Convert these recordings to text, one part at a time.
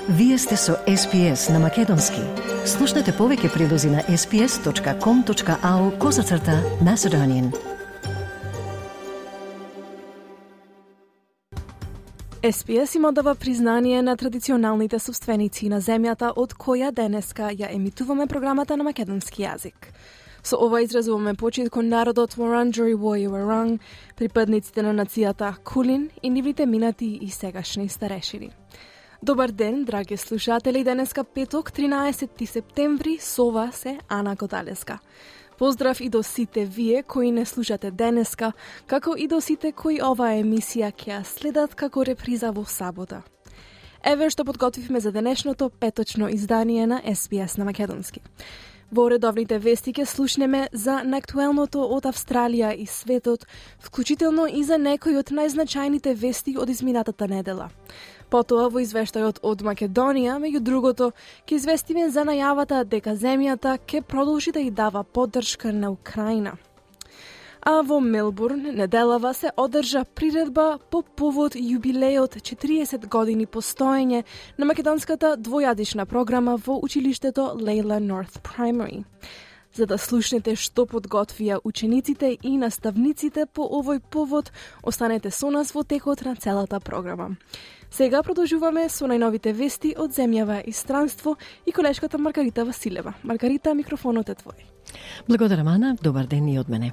Вие сте со SPS на Македонски. Слушнете повеќе прилози на sps.com.au/Macedonian. SPS има дава признание на традиционалните собственици на земјата од која денеска ја емитуваме програмата на македонски јазик. Со ова изразуваме почит кон народот Wurundjeri Woi-wurrung, припадниците на нацијата Кулин и нивните минати и сегашни старешини. Добар ден, драги слушатели, денеска петок, 13 септември, со вас е Ана Годалеска. Поздрав и до сите вие кои не слушате денеска, како и до сите кои оваа емисија ќе ја следат како реприза во сабота. Еве што подготвивме за денешното петочно издание на SPS на Македонски. Во редовните вести ќе слушнеме за наактуелното од Австралија и светот, вклучително и за некои од најзначајните вести од изминатата недела. Потоа во извештајот од Македонија, меѓу другото, ќе известиме за најавата дека земјата ќе продолжи да ја дава поддршка на Украина. А во Мелбурн неделава се одржа приредба по повод јубилеот 40 години постоење на македонската двојазична програма во училиштето Layla North Primary. За да слушнете што подготвија учениците и наставниците по овој повод, останете со нас во текот на целата програма. Сега продолжуваме со најновите вести од земјава и странство и колешката Маргарита Василева. Маргарита, микрофонот е твој. Благодарам, Ана. Добар ден и од мене.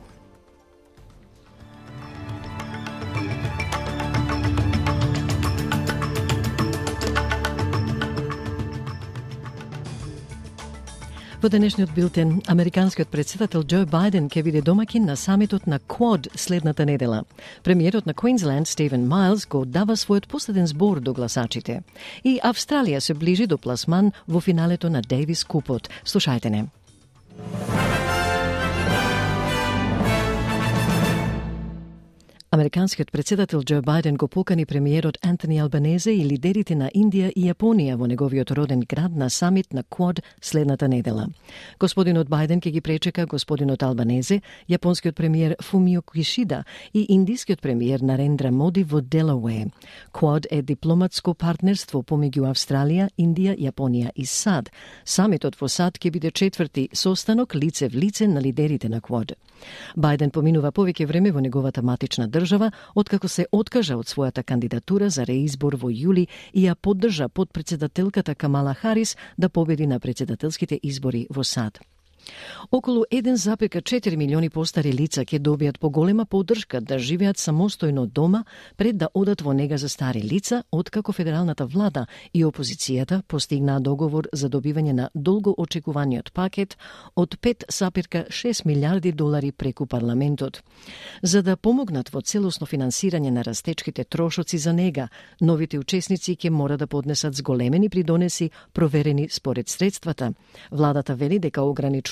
Во денешниот билтен, американскиот претседател Џо Бајден ќе биде домакин на самитот на Quad следната недела. Премиерот на Квинсленд Стивен Майлс го дава својот последен збор до гласачите. И Австралија се ближи до пласман во финалето на Дейвис Купот. Слушајте не. Американскиот претседател Џо Бајден го покани премиерот Антони Албанезе и лидерите на Индија и Јапонија во неговиот роден град на самит на Quad следната недела. Господинот Бајден ќе ги пречека господинот Албанезе, јапонскиот премиер Фумио Кишида и индискиот премиер Нарендра Моди во Делауе. Quad е дипломатско партнерство помеѓу Австралија, Индија, Јапонија и САД. Самитот во САД ќе биде четврти состанок лице в лице на лидерите на Quad. Бајден поминува повеќе време во неговата матична држава, откако се откажа од својата кандидатура за реизбор во јули и ја поддржа подпредседателката Камала Харис да победи на председателските избори во САД. Околу 1,4 милиони постари лица ќе добијат поголема поддршка да живеат самостојно дома пред да одат во нега за стари лица, откако федералната влада и опозицијата постигнаа договор за добивање на долго очекуваниот пакет од 5,6 милиарди долари преку парламентот. За да помогнат во целосно финансирање на растечките трошоци за нега, новите учесници ќе мора да поднесат зголемени придонеси проверени според средствата. Владата вели дека ограничувањето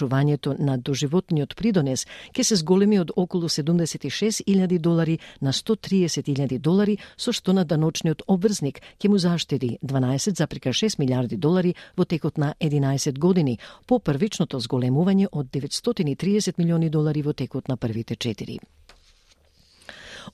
на доживотниот придонес ќе се зголеми од околу 76.000 долари на 130.000 долари, со што на даночниот обврзник ќе му заштеди 12,6 милиарди долари во текот на 11 години, по првичното зголемување од 930 милиони долари во текот на првите 4.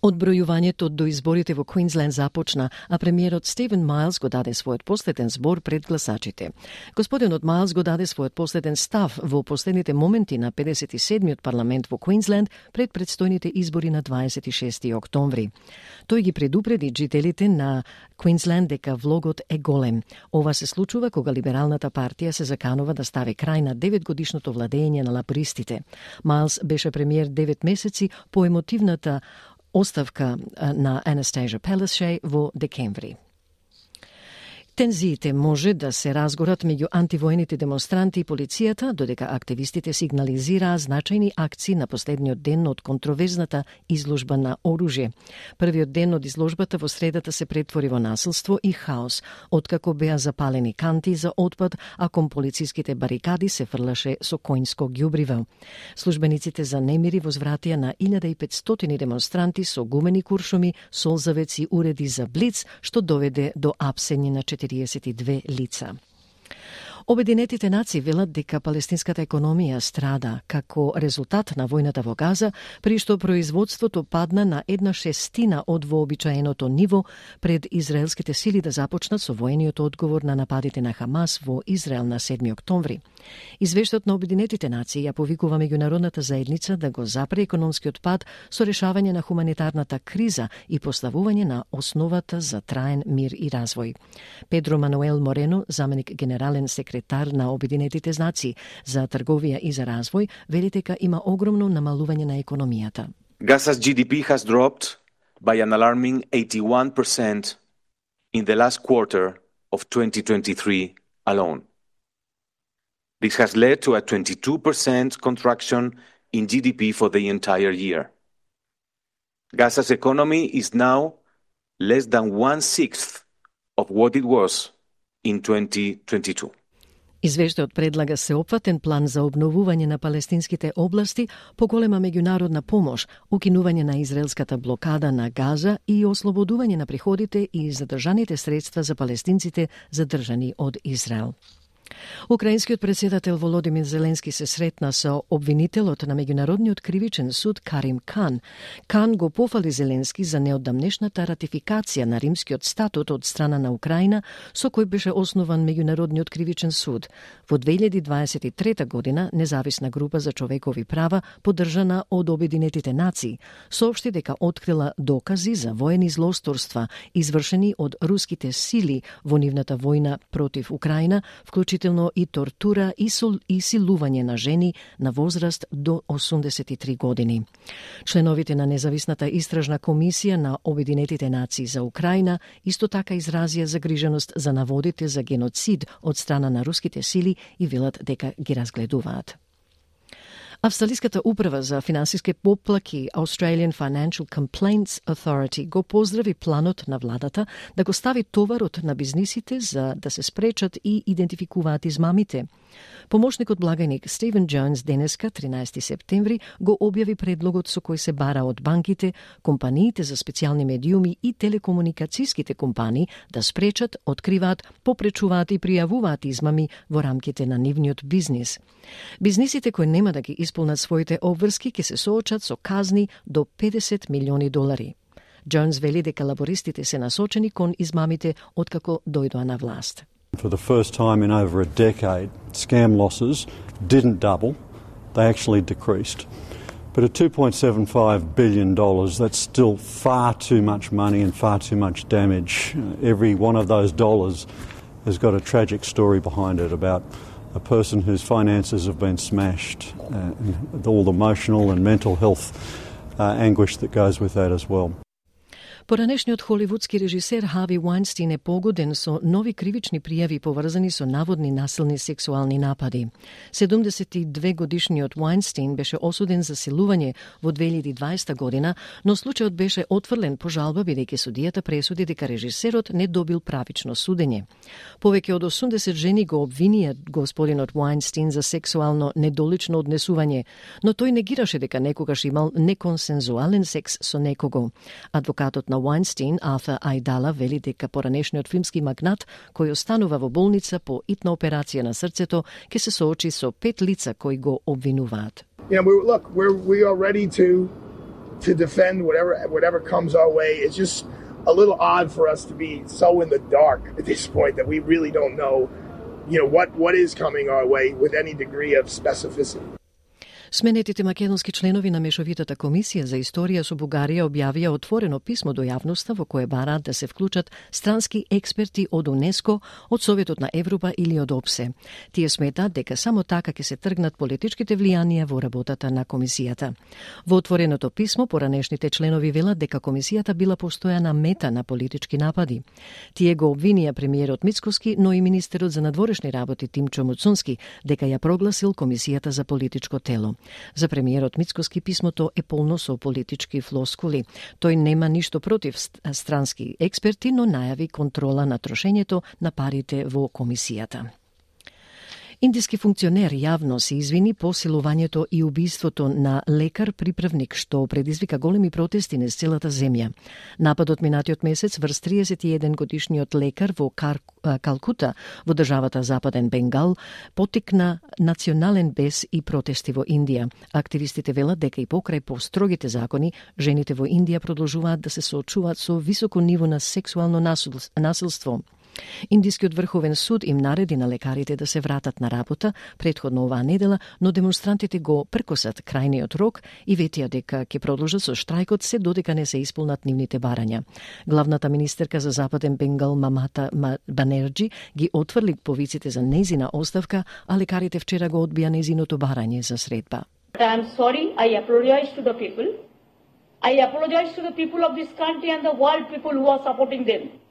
Одбројувањето до изборите во Квинсленд започна, а премиерот Стивен Майлс го даде својот последен збор пред гласачите. Господинот Майлс го даде својот последен став во последните моменти на 57-миот парламент во Квинсленд пред предстојните избори на 26 октомври. Тој ги предупреди жителите на Квинсленд дека влогот е голем. Ова се случува кога либералната партија се заканува да стави крај на 9-годишното владење на лабористите. Майлс беше премиер 9 месеци по емотивната оставка на Анастасија Пелешеј во декември. Тензиите може да се разгорат меѓу антивојните демонстранти и полицијата, додека активистите сигнализираа значајни акции на последниот ден од контроверзната изложба на оружје. Првиот ден од изложбата во средата се претвори во насилство и хаос, откако беа запалени канти за отпад, а кон полициските барикади се фрлаше со коњско ѓубриво. Службениците за немири возвратија на 1500 демонстранти со гумени куршуми, солзавеци и уреди за блиц, што доведе до апсење на 42 лица. Обединетите нации велат дека палестинската економија страда како резултат на војната во Газа, при што производството падна на 1/6 од вообичаеното ниво пред израелските сили да започнат со воениот одговор на нападите на Хамас во Израел на 7 октомври. Извештајот на Обединетите нации ја повикува меѓународната заедница да го запре економскиот пад со решавање на хуманитарната криза и поставување на основата за траен мир и развој. Педро Мануел Морено, заменик генерален секретар на Обединетите нации за трговија и за развој, вели дека има огромно намалување на економијата. Gaza's GDP has dropped by an alarming 81% in the last quarter of 2023 alone. This has led to a 22% contraction in GDP for the entire year. Gaza's economy is now less than 1/6 of what it was in 2022. Извештајот предлага сеопфатен план за обновување на палестинските области, поголема меѓународна помош, укинување на израелската блокада на Газа и ослободување на приходите и задржаните средства за палестинците задржани од Израел. Украинскиот председател Володимир Зеленски се сретна со обвинителот на Меѓународниот кривичен суд Карим Кан. Кан го пофали Зеленски за неодамнешната ратификација на Римскиот статут од страна на Украина, со кој беше основан Меѓународниот кривичен суд. Во 2023 година независна група за човекови права, поддржана од Обединетите нации, соопшти дека открила докази за воени злосторства извршени од руските сили во нивната војна против Украина, вклучително и тортура и силување на жени на возраст до 83 години. Членовите на независната истражна комисија на Обединетите нации за Украина исто така изразија загриженост за наводите за геноцид од страна на руските сили и велат дека ги разгледуваат. Австралиската управа за финансиски поплаки Australian Financial Complaints Authority го поздрави планот на владата да го стави товарот на бизнисите за да се спречат и идентификуваат измамите. Помошникот благајник Стивен Джонс денеска, 13 септември, го објави предлогот со кој се бара од банките, компаниите за специјални медиуми и телекомуникацијските компании да спречат, откриваат, попречуваат и пријавуваат измами во рамките на нивниот бизнис. Бизнисите кои нема да ги исполнат своите обврски ќе се соочат со казни до $50 милиони. Джонс вели дека лабористите се насочени кон измамите откако дојдоа на власт. For the first time in over a decade, scam losses didn't double, they actually decreased. But at $2.75 billion, that's still far too much money and far too much damage. Every one of those dollars has got a tragic story behind it about a person whose finances have been smashed, and all the emotional and mental health anguish that goes with that as well. Поранешниот холивудски режисер Хави Вајнстин е погоден со нови кривични пријави поврзани со наводни насилни сексуални напади. 72-годишниот Вајнстин беше осуден за силување во 2020 година, но случајот беше отфрлен по жалба бидејќи судијата пресуди дека режисерот не добил правично судење. Повеќе од 80 жени го обвинија господинот Вајнстин за сексуално недолично однесување, но тој негираше дека некогаш имал неконсензуален секс со некого. Адвокатот на Вајнстин, Арthur Aidala, вели дека поранешниот филмски магнат, кој останува во болница по итна операција на срцето, ќе се соочи со 5 лица кои го обвинуваат. We are ready to defend whatever comes our way. It's just a little odd for us to be so in the dark at this point that we really don't know, what is coming our way with any degree of specificity. Сменетите македонски членови на Мешовитата комисија за историја со Бугарија објавија отворено писмо до јавноста во кое бараат да се вклучат странски експерти од УНЕСКО, од Советот на Европа или од ОПСЕ. Тие сметаат дека само така ќе се тргнат политичките влијанија во работата на комисијата. Во отвореното писмо поранешните членови велат дека комисијата била постојана мета на политички напади. Тие го обвинија премиерот Мицкоски, но и министерот за надворешни работи Тимчо Муцунски дека ја прогласил комисијата за политичко тело. За премиерот Мицкоски писмото е полно со политички флоскули. Тој нема ништо против странски експерти, но најави контрола на трошењето на парите во комисијата. Индиски функционер јавно се извини по силувањето и убиството на лекар-приправник, што предизвика големи протести низ целата земја. Нападот минатиот месец врз 31 годишниот лекар во Калкута, во државата Западен Бенгал, поттикна национален бес и протести во Индија. Активистите велат дека и покрај построгите закони, жените во Индија продолжуваат да се соочуваат со високо ниво на сексуално насилство. Индискиот врховен суд им нареди на лекарите да се вратат на работа претходно оваа недела, но демонстрантите го прекосат крајниот рок и ветија дека ќе продолжат со штрајкот се додека не се исполнат нивните барања. Главната министерка за Западен Бенгал Мамата Банерджи ги отврли повиците за незина оставка, а лекарите вчера го одбија незиното барање за средба. I am sorry, I apologize to the people. I apologize to the people of this country and the world people who are supporting them.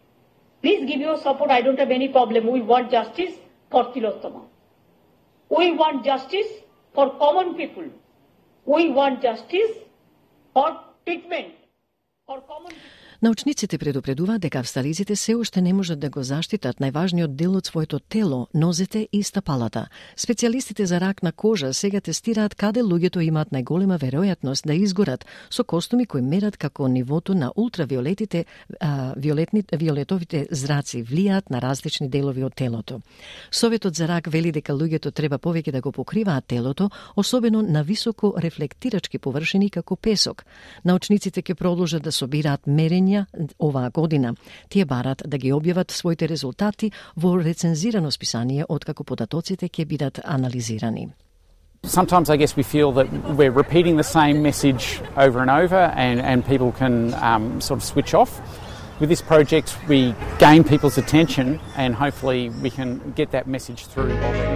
Please give your support. I don't have any problem. We want justice for Tilottama. We want justice for common people. We want justice for treatment for common people. Научниците предупредуваат дека австралиците се уште не можат да го заштитат најважниот дел од своето тело, нозете и стапалата. Специјалистите за рак на кожа сега тестираат каде луѓето имаат најголема веројатност да изгорат со костуми кои мерат како нивото на ултравиолетите, виолетовите зраци влијаат на различни делови од телото. Советот за рак вели дека луѓето треба повеќе да го покриваат телото, особено на високо рефлектирачки површини како песок. Научниците ќе продолжат да собираат мерења оваа година. Тие барат да ги објават своите резултати во рецензирано списание откако податоците ќе бидат анализирани. Sometimes I guess we feel that we're repeating the same message over and over and people can sort of switch off. With this project we gain people's attention and hopefully we can get that message through already.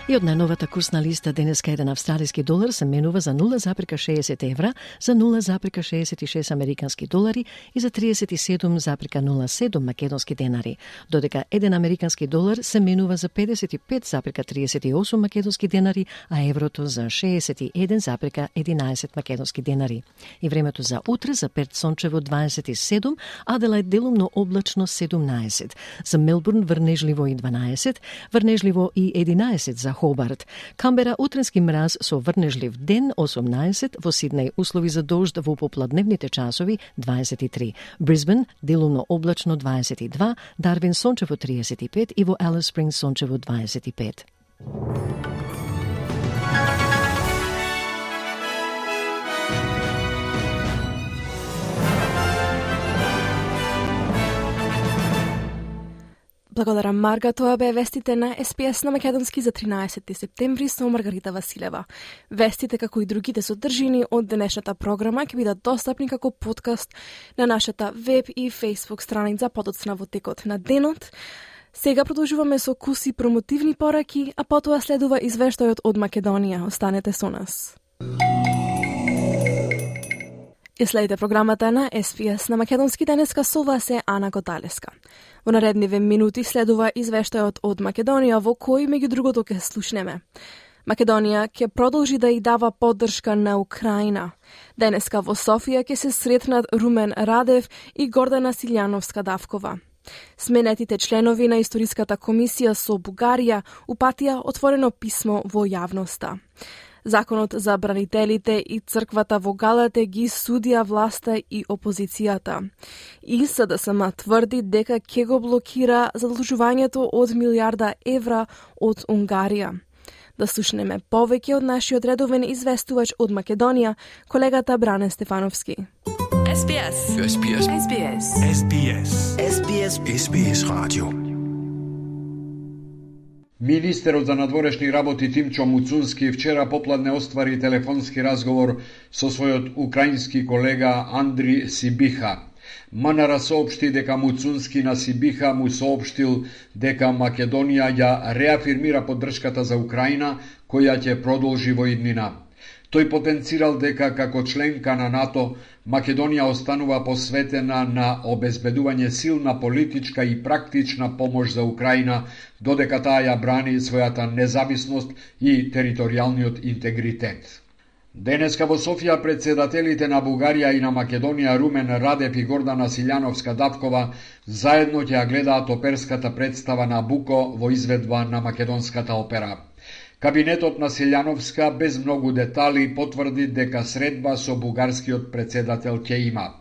И од најновата курсна листа денеска еден австралиски долар се менува за 0,60 евра, за 0,66 американски долари и за 37,07 македонски денари, додека еден американски долар се менува за 55,38 македонски денари, а еврото за 61,11 македонски денари. И времето за утре за Перт сончево 27, Аделајд делумно облачно 17, за Мелбурн врнежливо и 12, врнежливо и 11 за Хобарт. Камбера утренски мраз со врнежлив ден 18, во Сиднеј услови за дожд во попладневните часови 23. Брисбен делумно облачно 22, Дарвин сончево 35 и во Алис Спрингс сончево 25. Благодарам, Марга. Тоа бе вестите на СПС на македонски за 13 септември со Маргарита Василева. Вестите, како и другите содржини од денешната програма, ќе бидат достапни како подкаст на нашата веб и Facebook страница подоцна во текот на денот. Сега продолжуваме со куси промотивни пораки, а потоа следува извештајот од Македонија. Останете со нас. И следите програмата на СПС на македонски денеска, со вас е Ана Готалеска. Во наредниве минути следува извештајот од Македонија, во кој меѓу другото ќе слушнеме. Македонија ќе продолжи да и дава поддршка на Украина. Денеска во Софија ќе се сретнат Румен Радев и Гордана Силјановска-Давкова. Сменетите членови на Историската комисија со Бугарија упатија отворено писмо во јавноста. Законот за бранителите и црквата во Галате ги судија власта и опозицијата. И СДСМ тврди дека ќе го блокира задолжувањето од 1 милиарда евра од Унгарија. Да слушнеме повеќе од нашиот редовен известувач од Македонија, колегата Бране Стефановски. SBS. SBS. SBS. SBS. SBS. SBS Radio. Министерот за надворешни работи Тимчо Муцунски вчера попладне оствари телефонски разговор со својот украински колега Андри Сибиха. МНР соопшти дека Муцунски на Сибиха му соопштил дека Македонија ја реафирмира поддршката за Украина, која ќе продолжи во иднина. Тој потенцирал дека како членка на НАТО, Македонија останува посветена на обезбедување силна политичка и практична помош за Украина, додека таа ја брани својата независност и територијалниот интегритет. Денеска во Софија председателите на Бугарија и на Македонија Румен Радев и Гордана Силјановска-Давкова заедно ќе ја гледаат оперската представа Набуко во изведба на македонската опера. Кабинетот на Силјановска без многу детали потврди дека средба со бугарскиот председател ќе има.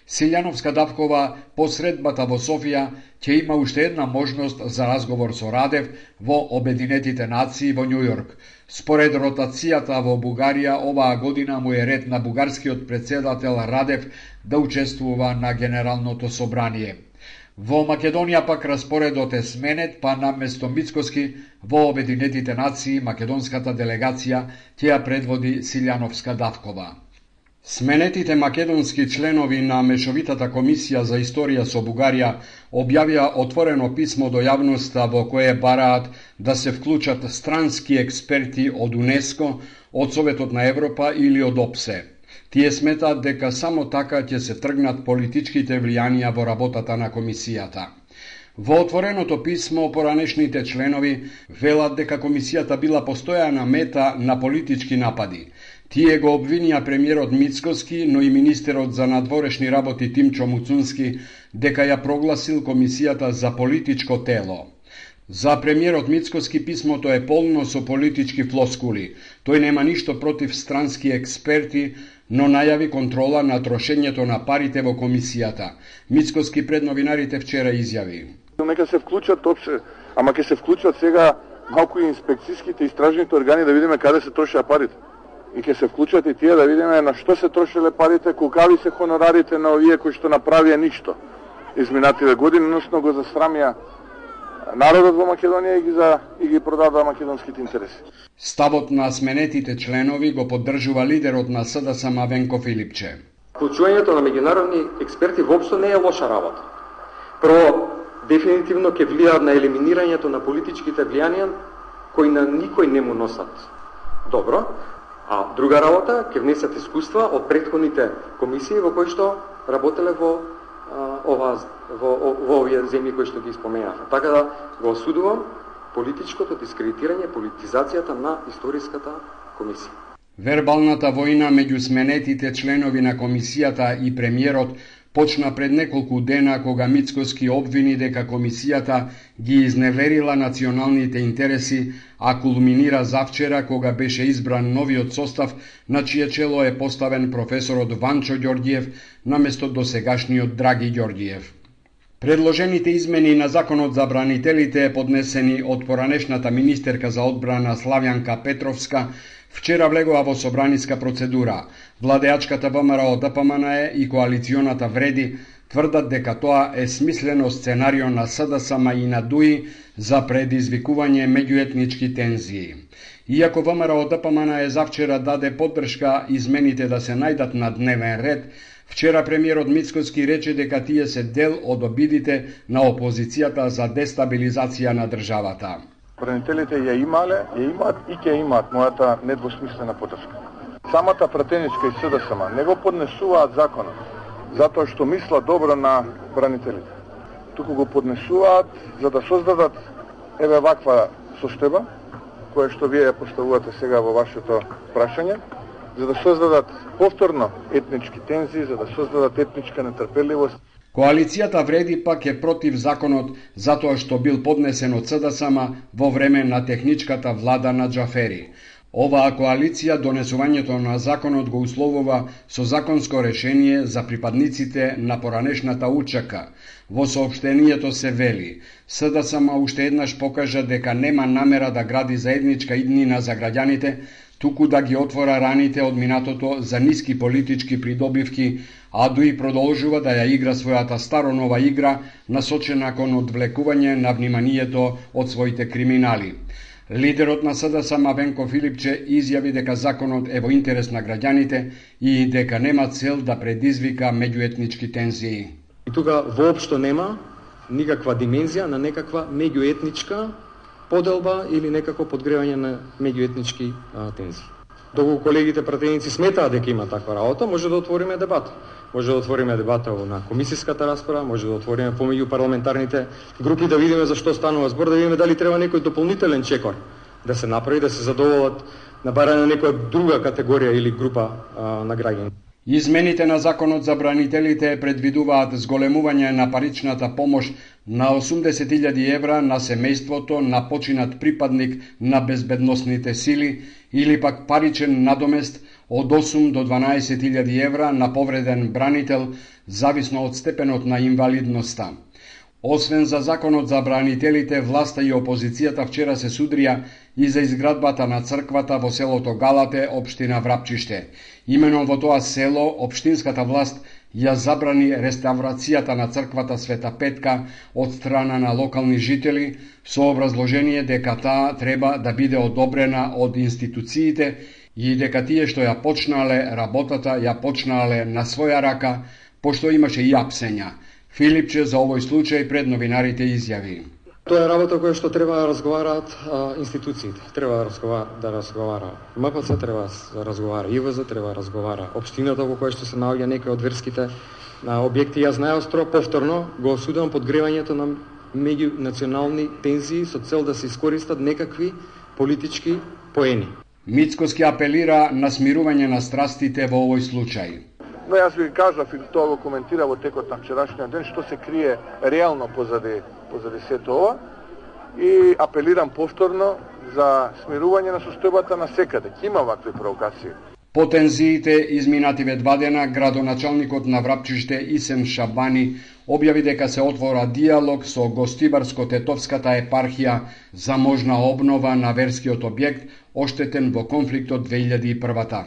Силјановска-Давкова по средбата во Софија ќе има уште една можност за разговор со Радев во Обединетите нации во Њујорк. Според ротацијата во Бугарија, оваа година му е ред на бугарскиот председател Радев да учествува на Генералното собрание. Во Македонија пак распоредот е сменет, па наместо Мицкоски во Обединетите нации македонската делегација ќе ја предводи Силјановска-Давкова. Сменетите македонски членови на Мешовитата комисија за историја со Бугарија објавија отворено писмо до јавноста во кое бараат да се вклучат странски експерти од УНЕСКО, од Советот на Европа или од ОПСЕ. Тие сметаат дека само така ќе се тргнат политичките влијанија во работата на комисијата. Во отвореното писмо поранешните членови велат дека комисијата била постојана мета на политички напади. Тие го обвинија премиерот Мицкоски, но и министерот за надворешни работи Тимчо Муцунски дека ја прогласил комисијата за политичко тело. За премиерот Мицкоски писмото е полно со политички флоскули. Тој нема ништо против странски експерти, но најави контрола на трошењето на парите во комисијата. Мицкоски пред новинарите вчера изјави: Нека се вклучат опше, ама ќе се вклучат сега малку и инспекцијските истражните органи да видиме каде се трошеа парите. И ќе се вклучат и тие да видиме на што се трошеле парите, колкави се хонорарите на овие кои што направија ништо изминативе години, односно го засрамија народот во Македонија и ги продадоа македонските интереси. Ставот на сменетите членови го поддржува лидерот на СДСМ Венко Филипче. Вклучувањето на меѓународни експерти воопшто не е лоша работа. Прво, дефинитивно ќе влијаат на елиминирањето на политичките влијанија кои на никој не му носат добро. А друга работа, ќе внесат искуства од претходните комисии во кои што работеле во овие земји кои што ги споменавме. Така да го осудувам политичкото дискредитирање, политизацијата на историската комисија. Вербалната војна меѓу сменетите членови на комисијата и премиерот почна пред неколку дена кога Мицкоски обвини дека комисијата ги изневерила националните интереси, а кулминира завчера кога беше избран новиот состав на чие чело е поставен професорот Ванчо Ѓорѓиев наместо досегашниот Драги Ѓорѓиев. Предложените измени на законот за бранителите поднесени од поранешната министерка за одбрана Славјанка Петровска вчера влегоа во собраниска процедура. Владеачката ВМРО ДПМНЕ и коалиционата Вреди тврдат дека тоа е смислено сценарио на СДСМ и на ДУИ за предизвикување меѓуетнички тензии. Иако ВМРО ДПМНЕ завчера даде поддршка измените да се најдат на дневен ред, вчера премиерот Мицкоски рече дека тие се дел од обидите на опозицијата за дестабилизација на државата. Бранителите ја имаат и ќе имаат мојата недвосмислена поддршка. Самата пратеничка и СДСМ не го поднесуваат законот затоа што мислат добро на бранителите. Туку го поднесуваат за да создадат еве ваква состојба која што вие ја поставувате сега во вашето прашање, за да создадат повторно етнички тензии, за да создадат етничка нетрпеливост. Коалицијата Вреди пак е против законот затоа што бил поднесен од СДСМ во време на техничката влада на Џафери. Оваа коалиција донесувањето на законот го условува со законско решение за припадниците на поранешната УЧК. Во соопштението се вели: СДСМ уште еднаш покажа дека нема намера да гради заедничка иднина за граѓаните, туку да ги отвора раните од минатото за ниски политички придобивки, а ДУИ продолжува да ја игра својата старо-нова игра насочена кон одвлекување на вниманието од своите криминали. Лидерот на СДСМ Венко Филипче изјави дека законот е во интерес на граѓаните и дека нема цел да предизвика меѓуетнички тензии. И тука воопшто нема никаква димензија на некаква меѓуетничка поделба или некако подгревање на меѓуетнички тензии. Доколку колегите пратеници сметаат дека има таква работа, може да отвориме дебата. Може да отвориме дебата на комисиската расправа, може да отвориме помеѓу парламентарните групи да видиме за што станува збор, да видиме дали треба некој дополнителен чекор да се направи, да се задоволат на барање на некоја друга категорија или група на граѓани. Измените на законот за бранителите предвидуваат зголемување на паричната помош на 80.000 евра на семејството на починат припадник на безбедносните сили или пак паричен надомест од 8 до 12.000 евра на повреден бранител, зависно од степенот на инвалидноста. Освен за законот за бранителите, власта и опозицијата вчера се судрија и за изградбата на црквата во селото Галате, општина Врапчиште. Именно во тоа село, општинската власт ја забрани реставрацијата на црквата Света Петка од страна на локални жители, со образложение дека таа треба да биде одобрена од институциите и дека тие што ја почнале работата, ја почнале на своја рака, пошто имаше и апсења. Филипче за овој случај пред новинарите изјави: Тоа е работа која што треба да разговараат институциите. Треба да разговара МПЦ, треба да разговара ИВЗ, треба да разговара општината во која што се наоѓа некои од верските објекти. Јас најостро повторно го осудувам подгревањето на меѓунационални тензии со цел да се искористат некакви политички поени. Мицкоски апелира на смирување на страстите во овој случај. Но јас ви кажав и тоа го коментира во текот на вчерашниот ден што се крие реално позади сето ова и апелирам повторно за смирување на состојбата на секаде. Ќе има вакви провокации. По тензиите изминативе 2 дена, градоначалникот на Врапчиште Исен Шабани објави дека се отвора диалог со Гостибарско-Тетовската епархија за можна обнова на верскиот објект оштетен во конфликтот 2001-та.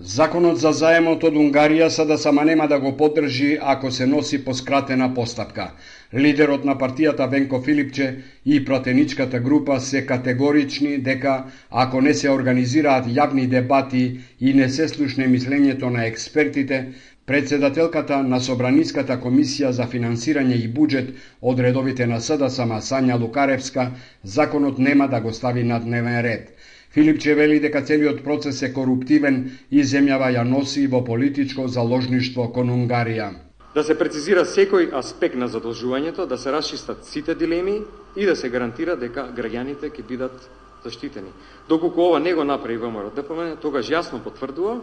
Законот за заемот од Унгарија сада сама нема да го поддржи ако се носи по скратена постапка. Лидерот на партијата Венко Филипче и пратеничката група се категорични дека ако не се организираат јавни дебати и не се слушне мислењето на експертите, председателката на Собраниската комисија за финансирање и буџет од редовите на СДСМ Сања Лукаревска, законот нема да го стави на дневен ред. Филипче вели дека целиот процес е коруптивен и земјава ја носи во политичко заложништво кон Унгарија. Да се прецизира секој аспект на задолжувањето, да се расчистат сите дилеми и да се гарантира дека граѓаните ќе бидат заштитени. Доколку ова не го направи ВМРО-ДПМН, тогаш јасно потврдува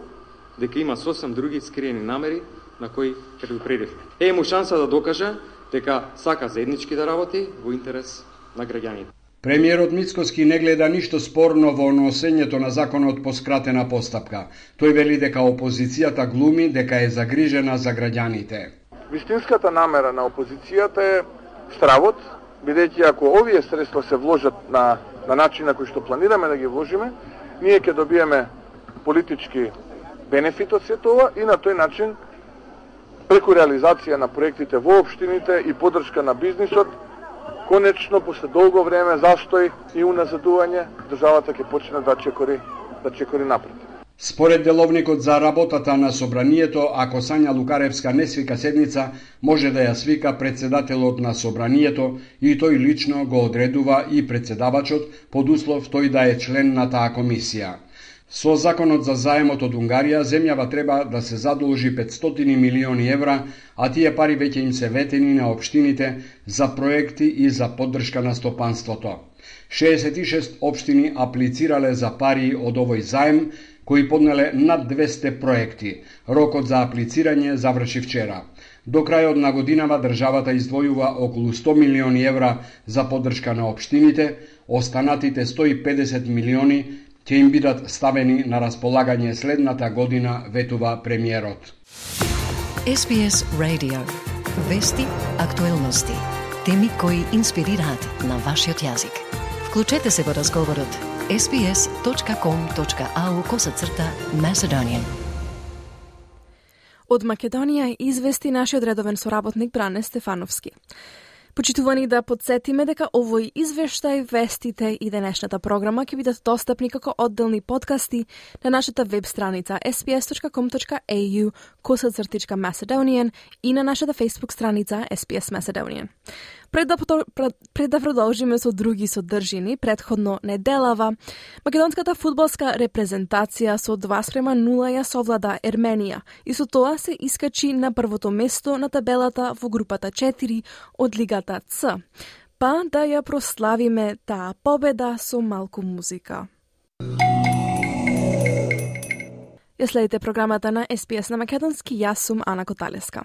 дека има сосем други скриени намери на кои предупредивме. Е му шанса да докаже дека сака заеднички да работи во интерес на граѓаните. Премиерот Мицкоски не гледа ништо спорно во носењето на законот по скратена постапка. Тој вели дека опозицијата глуми дека е загрижена за граѓаните. Вистинската намера на опозицијата е стравот, бидејќи ако овие средства се вложат на начин на кој што планираме да ги вложиме, ние ќе добиеме политички бенефит од сето ова и на тој начин преку реализација на проектите во општините и поддршка на бизнисот, конечно, после долго време застој и уназадување, државата ќе почне да чекори напред. Според деловникот за работата на Собранието, ако Сања Лукаревска не свика седница, може да ја свика председателот на Собранието и тој лично го одредува и председавачот под услов тој да е член на таа комисија. Со законот за заемот од Унгарија, земјава треба да се задолжи 500 милиони евра, а тие пари веќе им се ветени на општините за проекти и за поддршка на стопанството. 66 општини аплицирале за пари од овој заем, кои поднеле над 200 проекти. Рокот за аплицирање заврши вчера. До крајот на годинава државата издвојува околу 100 милиони евра за поддршка на општините, останатите 150 милиони ќе им бидат ставени на располагање следната година, ветува премиерот. SBS Radio. Вести, актуелности, теми кои инспирираат на вашиот јазик. Вклучете се во разговорот sbs.com.au/Macedonian. Од Македонија извести нашиот редовен соработник Бране Стефановски. Почитувани да подсетиме дека овој извештај, вестите и денешната програма ќе бидат достапни како одделни подкасти на нашата веб страница sbs.com.au/Macedonian и на нашата Facebook страница SBS Macedonian. Пред да продолжиме со други содржини, предходно неделава, македонската фудбалска репрезентација со 2:0 ја совлада Ерменија и со тоа се искачи на првото место на табелата во групата 4 од Лигата Ц. Па да ја прославиме таа победа со малку музика. Ја следите програмата на SPS на македонски, јас сум Ана Коталеска.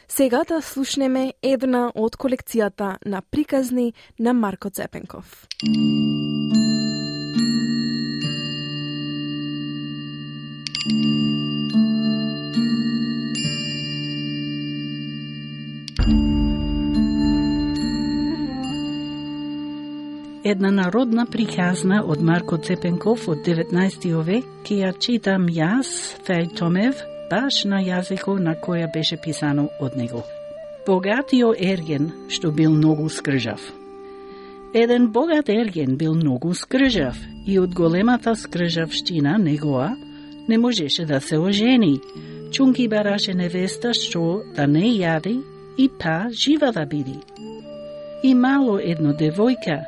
Сега да слушнеме една од колекцијата на приказни на Марко Цепенков. Една народна приказна од Марко Цепенков од 19 век, ки ја читам јас, Феј Томев, баш на јазикот на која беше писано од него. Богатиот ерген, што бил многу скржав. Еден богат ерген бил многу скржав и од големата скржавштина негоа не можеше да се ожени. Чунки бараше невеста што да не јади и па жива да биди. И мало едно девојка,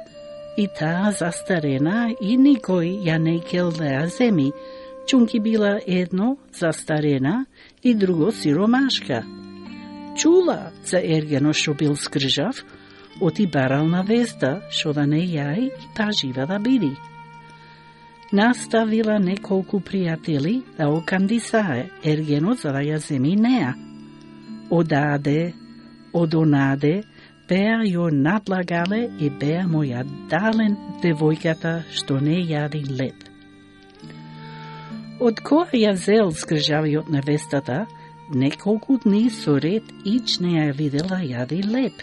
и таа застарена и никој ја не кел да ја земи, чунки била едно застарена и друго сиромашка. Чула за ергено што бил скржав, оти барал навеста што да не јај и па жива да биди. Наставила неколку пријатели да окандисае ергено за да ја земи неа. Одаде, одонаде, беа ја надлагале и беа му ја дален девојката што не јади леп. Од која ја зел скржавиот невестата, неколку дни со ред ич не ја видела јади леп.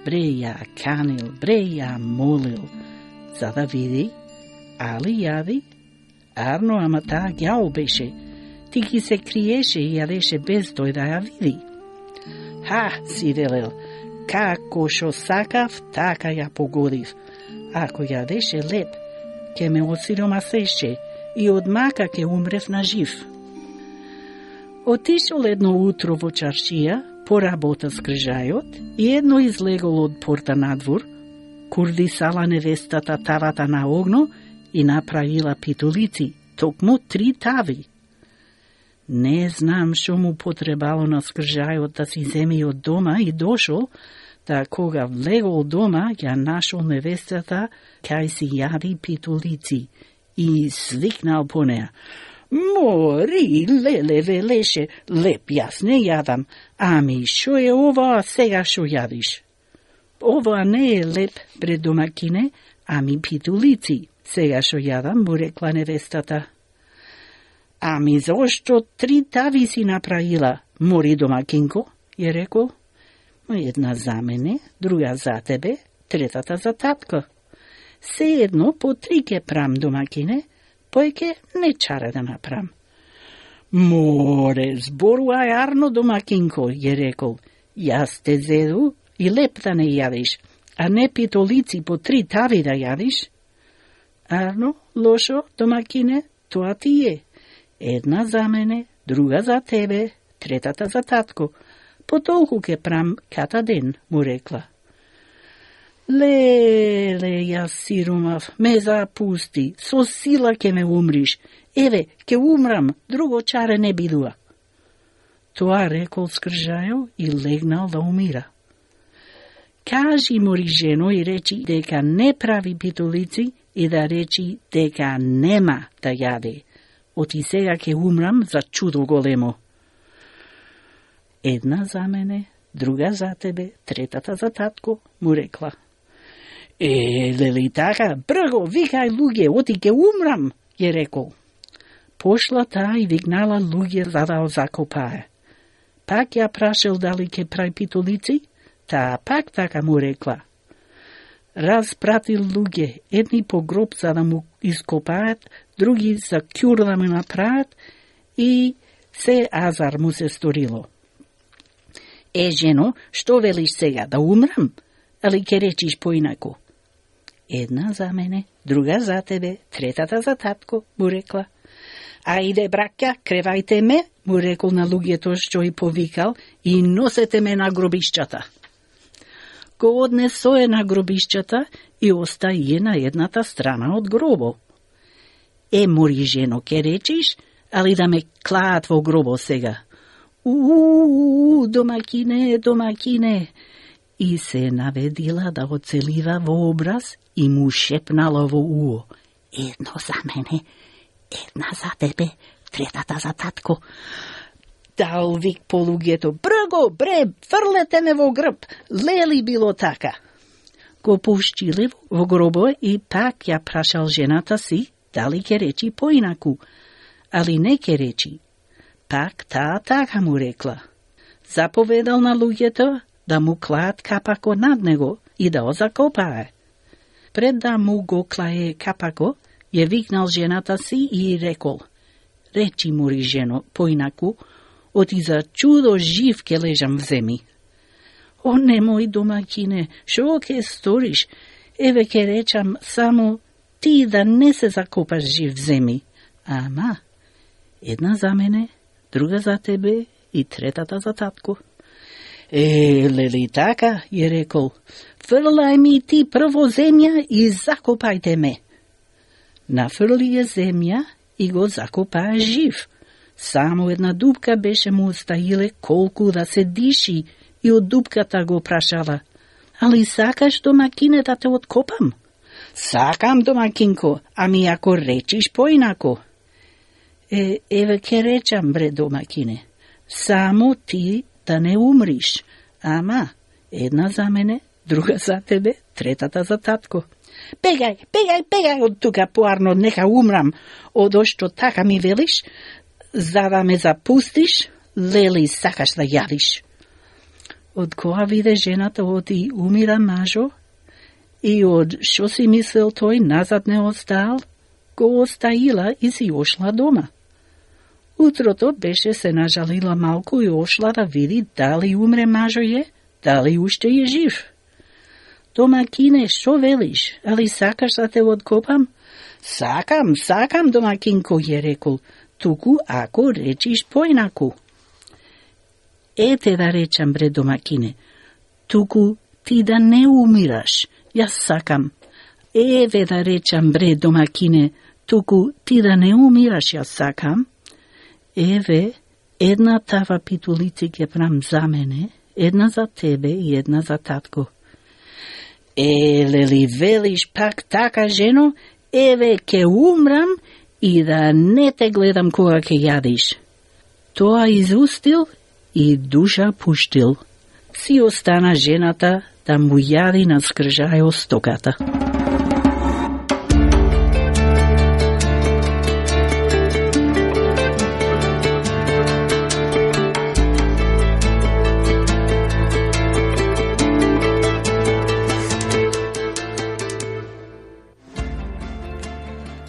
Бре ја канил, бре ја молил, за да види, али јади? Арно, ама таа ѓао беше, ти ги се криеше и јадеше без тој да ја види. Ха, си велел, како шо сакав, така ја погодив. Ако јадеше леп, ке ме осиромасеше и од мака ке умрев на жив. Отишол едно утро во чаршија, поработа скржајот и едно излегол од порта надвор, курдисала невестата тавата на огно и направила питулици, токму 3 тави. Не знам што му потребало на скржајот да си земи од дома и дошол, да кога влегол дома, ја нашол невестата кај си јади питулици и свикнал по неа. Мори, леле, велеше, леп јас не јадам, ами шо е ова сега шо јадиш? Ова не е леп, бре домакине, ами питулици, сега шо јадам, му рекла невестата. Ами зошто 3 тави си направила, мори домакинко, ја рекол. Една за мене, друга за тебе, третата за татко. Се едно по 3 ке прам домакине, појке не чара да направам. Море, зборувај арно домакинко, ја рекол. Јас те зеду и леп да не јадиш, а не питолици по 3 тави да јадиш. Арно, лошо, домакине, тоа ти е. Една за мене, друга за тебе, третата за татко. По толку ке прам ката ден, му рекла. Леле, јас сиромав, ме запусти, со сила ке ме умриш. Еве, ке умрам, друго чаре не бидува. Тоа рекол скржајо и легнал да умира. Кажи мори жено и речи дека не прави питулици и да речи дека нема да јаде. Оти сега ке умрам за чудо големо. Една за мене, друга за тебе, третата за татко, му рекла. Лели така, брго, викај луѓе, оти ке умрам, ја рекол. Пошла таа и викнала луѓе за да закопае. Пак ја прашел дали ке прави питулици, таа пак така му рекла. Распратил луѓе, едни по гроб за да му ископаат, други за кјур да му направат и се азар му се сторило. Жено, што велиш сега, да умрам? Али ке речиш поинако? Една за мене, друга за тебе, третата за татко, му рекла. Ајде, браќа, кревајте ме, му рекол на луѓето што и повикал, и носете ме на гробишчата. Го однесое на гробишчата и остаje на едната страна од гробо. Мори жено, ке речиш, али да ме клаат во гробо сега? Домакине, домакине. И се наведила да оцелива во образ и му шепнала во уо. Едно за мене, една за тебе, третата за татко. Дал вик по луѓето: "Брго, бре, фрлете ме во грб." Лели било така. Го пуштиле во гробо и пак ја прашал жената си дали ќе речи поинаку, али не ќе речи. Пак таа така му рекла. Заповедал на луѓето да му клаат капако над него и да го закопае. Пред да му го клае капако, ја викнал жената си и рекол: "Речи, мори жено, поинаку, оти за чудо жив ке лежам в земи." "О, немој, домакине, шо ке сториш? Еве ке речам само ти да не се закопаш жив в земи. Ама, една за мене, друга за тебе и третата за татко." Лели така, ја рекол, "Фрлај ми ти прво земја и закопајте ме." Нафрли ја земја и го закопаа жив. Само една дупка беше му оставиле колку да се диши и од дупката го прашала: "Али сакаш, домакине, да те откопам?" "Сакам, домакинко, ами ако речиш поинако." Еве ке речам, бре, домакине. Само ти да не умриш. Ама, една за мене, друга за тебе, третата за татко. Бегај од тука поарно, нека умрам, одошто така ми велиш, за да ме запустиш, лели сакаш да јадиш. Од која виде жената оди умира мажо, и од шо си мислел тој назад не остал, го остаила и си ошла дома. Утрото беше се нажалила малку и ошла да види дали умре мажо е, дали уште е жив. "Домакине, шо велиш? Али сакаш да те откопам?" Сакам, домакинко, ја рекол, туку ако речиш поинаку." "Ете да речам, бре, домакине, туку ти да не умираш, јас сакам." "Еве да речам, бре, домакине, туку ти да не умираш, јас сакам." "Еве, една тава питулици ќе прам за мене, една за тебе и една за татко." Лели велиш пак така, жено, еве ке умрам и да не те гледам кога ке јадиш. Тоа изустил и душа пуштил. Си остана жената да му јади на скржајо стоката.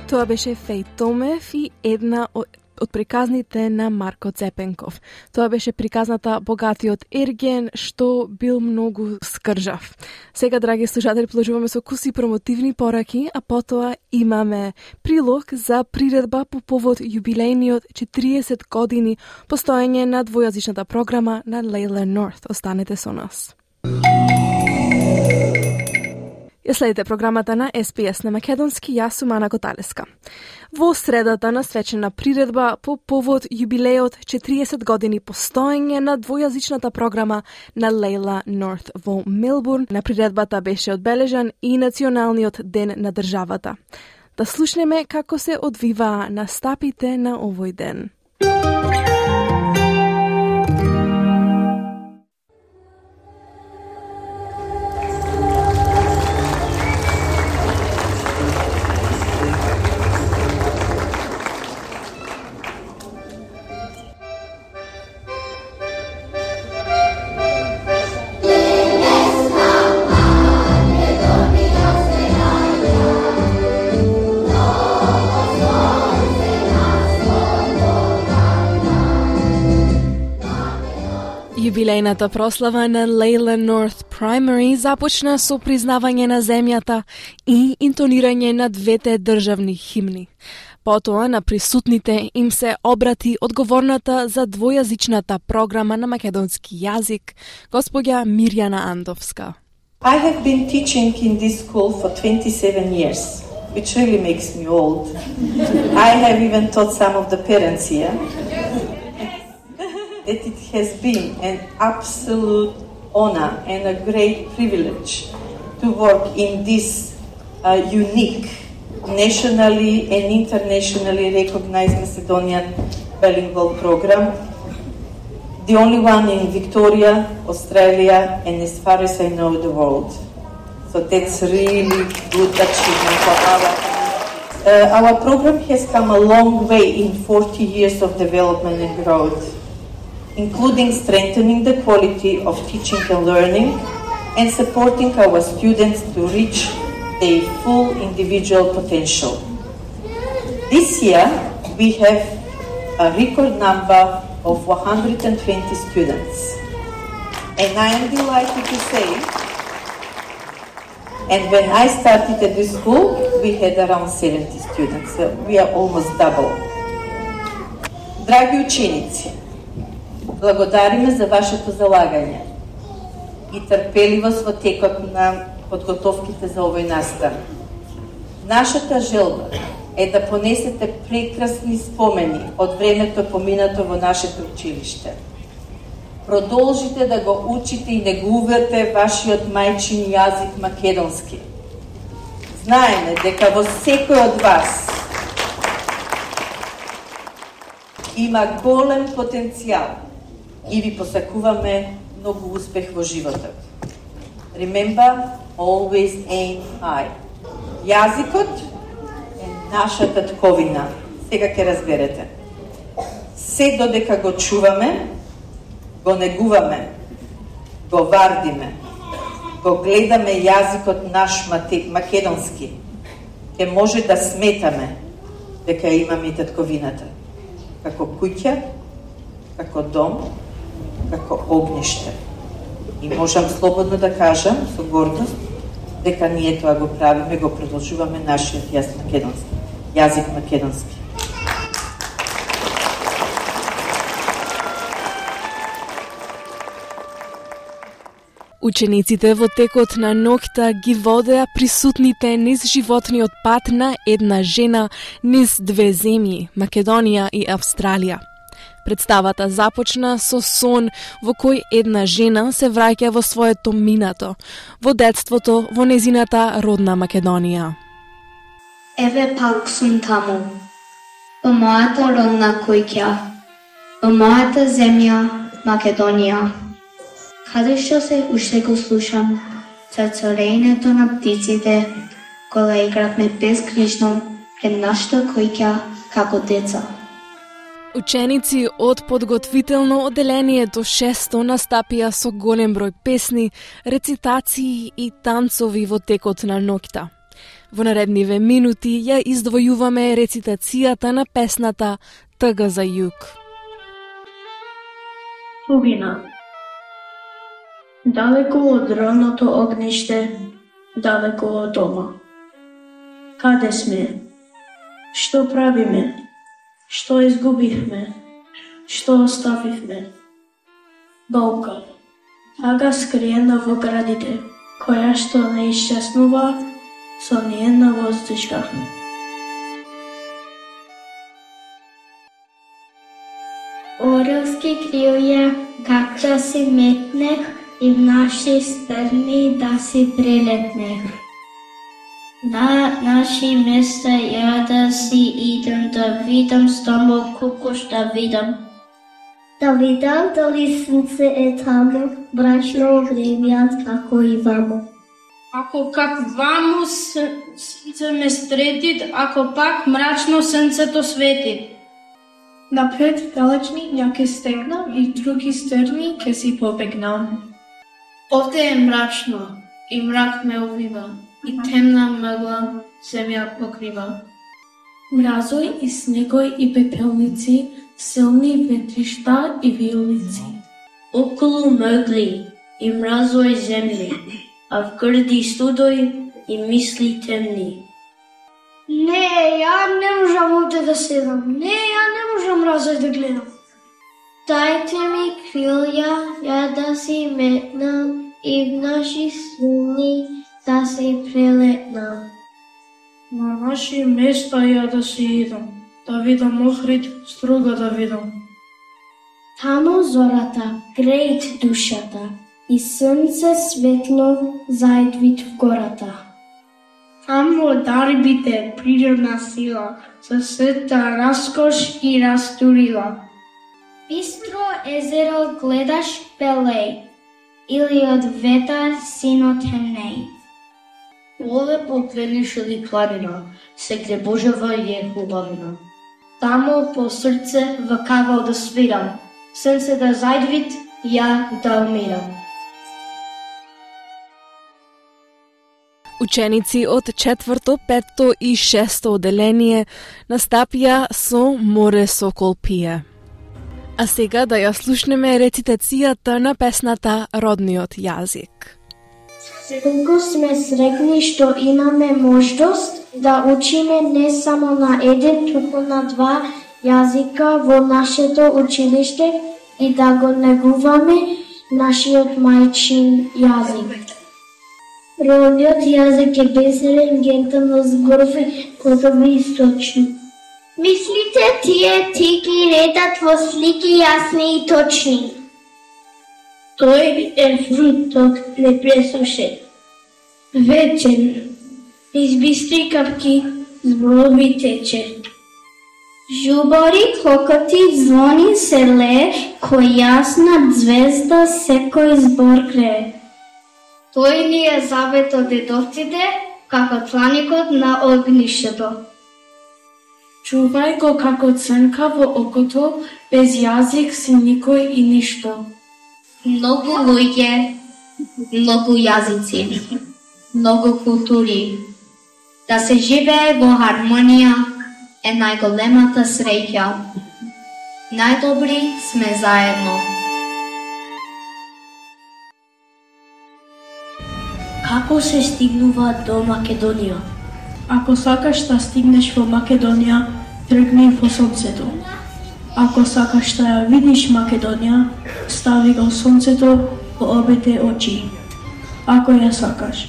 Тоа беше Феј Томев и една од приказните на Марко Цепенков. Тоа беше приказната Богатиот ерген, што бил многу скржав. Сега, драги слушатели, продолжуваме со куси промотивни пораки, а потоа имаме прилог за приредба по повод јубилејниот 40 години постоење на двојазичната програма на Лейла Норт. Останете со нас. Ја следите програмата на SPS на македонски, јас сум Ана Коталеска. Во средата насвечена приредба по повод јубилеот 40 години постоење на двојазичната програма на Лейла Норт во Мелбурн. На приредбата беше одбележан и Националниот ден на државата. Да слушнеме како се одвиваа настапите на овој ден. Јубилејната прослава на Лейла Норт Primary започна со признавање на земјата и интонирање на двете државни химни. Потоа на присутните им се обрати одговорната за двојазичната програма на македонски јазик, господја Мирјана Андовска. I have been teaching in this school for 27 years, which really makes me old. I have even taught some of the parents here. That it has been an absolute honor and a great privilege to work in this unique, nationally and internationally recognized Macedonian bilingual program, the only one in Victoria, Australia, and as far as I know, the world. So that's really good achievement for our program has come a long way in 40 years of development and growth, including strengthening the quality of teaching and learning and supporting our students to reach their full individual potential. This year, we have a record number of 120 students. And I am delighted to say, and when I started at this school, we had around 70 students, so we are almost double. Драги ученици, благодариме за вашето залагање и трпеливост во текот на подготовките за овој настан. Нашата желба е да понесете прекрасни спомени од времето поминато во нашето училиште. Продолжите да го учите и негувате вашиот мајчин јазик македонски. Знаеме дека во секој од вас има голем потенцијал и ви посакуваме многу успех во животот. Remember, always aim high. Јазикот е нашата тковина. Сега ќе разберете. Се додека го чуваме, го негуваме, го вардиме, го гледаме јазикот наш македонски, ќе може да сметаме дека имаме татковината, како куќа, како дом, како огниште. И можам слободно да кажам, со гордост, дека ние тоа го правиме, го продолжуваме нашиот јазик македонски. Учениците во текот на ноќта ги водеа присутните низ животниот пат на една жена низ две земји, Македонија и Австралија. Представата започна со сон во кој една жена се враќа во своето минато, во детството во незината родна Македонија. Еве пак сум таму, во мојата родна куќа, во мојата земја Македонија. Каде што се уште го слушам црцорењето на птиците, кога игравме безгрижно пред нашата куќа како деца. Ученици од подготвително одделение до 6 настапија со голем број песни, рецитации и танцови во текот на ноќта. Во наредниве минути ја издвојуваме рецитацијата на песната Тъга за југ. Тугина. Далеко од родното огниште, далеко од дома. Каде сме? Што правиме? Што изгубивме? Што оставивме? Болка. Тага скриена во градите, која што не исчезнува со ниедна воздушка. Орелски крилја, как да си метнех и в наши стрни да си прилетнех. На наши места ја да си идем, да видам стамбул кукуш да видам. Да видам дали сонце е таму, брачно огревјат како и ваму. Ако как ваму сонце ме стретит, ако пак мрачно сонцето светит. Напред далечни ја ке стегнам и други стрни ке си побегнам. Овде е мрачно и мрак ме увива и темна мъгла земја покрива. Мразој и снегој и пепелници, силни ветришта и виолици. Околу мъгли и мразој земли, а в грди студој и мисли темни. Не, ја не можам овде да седам. Не, ја не можам мразој да гледам. Дайте ми крилја, ја да си метнам и в наши сни да си прелетнам. На наши места ја да си идам, да видам Охрид, Струга да видам. Таму зората греет душата и сонце светло заедвит в гората. Амо дарбите природна сила, со сета раскош и растурила. Бистро езеро гледаш пелей, или од ветар синот темнеј. Олепо кренишели планина, се гребожева е хубавина. Тамо по срце вакавал да свирам, сенце да зајдвит, ја да умирам. Ученици од 4-то, 5-то и 6-то оделение настапија со Море Сокол пие. А сега да ја слушнеме рецитацијата на песната Родниот јазик. Секогаш сме среќни што имаме можност да учиме не само на еден, туку на два јазика во нашето училиште и да го негуваме нашиот мајчин јазик. Родниот јазик е бесерен, гентално зборови, кодови и сочни. Мислите тие ти ги редат во слики јасни и точни. Тој е фрутот непресушен, вечен, из бистри капки зборови тече. Жубори, клокоти, звони се лее, кој јасна звезда секој збор крее. Тој ни е завет од дедовците, како тланикот на огништето. Чувај го како црнка во окото, без јазик си никој и ништо. Многу луѓе, многу јазици, многу култури. Да се живее во хармонија е најголемата среќа. Најдобри сме заедно. Како се стигнува до Македонија? Ако сакаш да стигнеш во Македонија, тргни во сонцето. Ако сакаш да ја видиш Македонија, стави го сонцето во обете очи. Ако ја сакаш.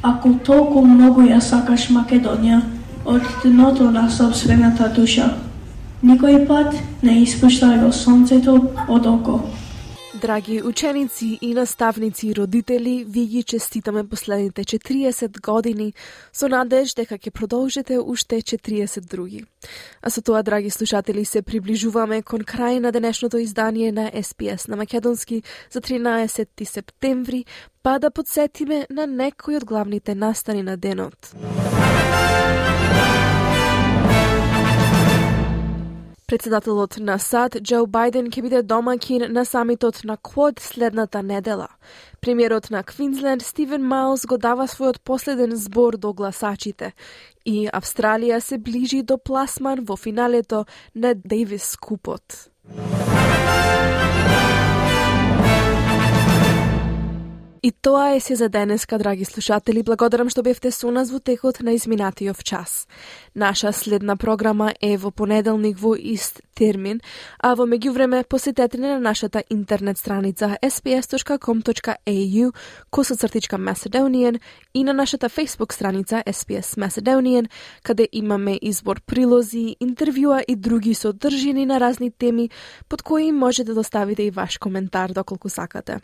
Ако толку многу ја сакаш Македонија, од дното на собствената душа, никој пат не испуштај го сонцето од око. Драги ученици и наставници и родители, ви ги честитаме последните 40 години со надеж дека ќе продолжите уште 40 други. А со тоа, драги слушатели, се приближуваме кон крај на денешното издание на SPS на македонски за 13 септември, па да подсетиме на некои од главните настани на денот. Председателот на САД, Џо Бајден, ќе биде домаќин на самитот на Квод следната недела. Премиерот на Квинсленд, Стивен Мајлс, го дава својот последен збор до гласачите и Австралија се ближи до пласман во финалето на Дейвис Купот. И тоа е се за денеска, драги слушатели. Благодарам што бевте со нас во текот на изминатиот час. Наша следна програма е во понеделник во ист термин, а во меѓувреме посетете на нашата интернет страница sps.com.au/Macedonian и на нашата Facebook страница SPS Macedonian, каде имаме избор прилози, интервјуа и други содржини на разни теми, под кои можете да оставите и ваш коментар доколку сакате.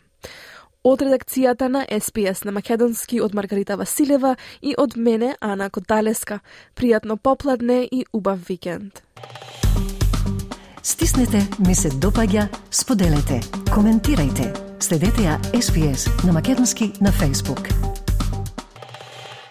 Од редакцијата на SPS на македонски од Маргарита Василева и од мене, Ана Коталеска. Пријатно попладне и убав викенд. Стиснете, ми се допаѓа, споделете, коментирајте. Следете ја SPS на македонски на Facebook.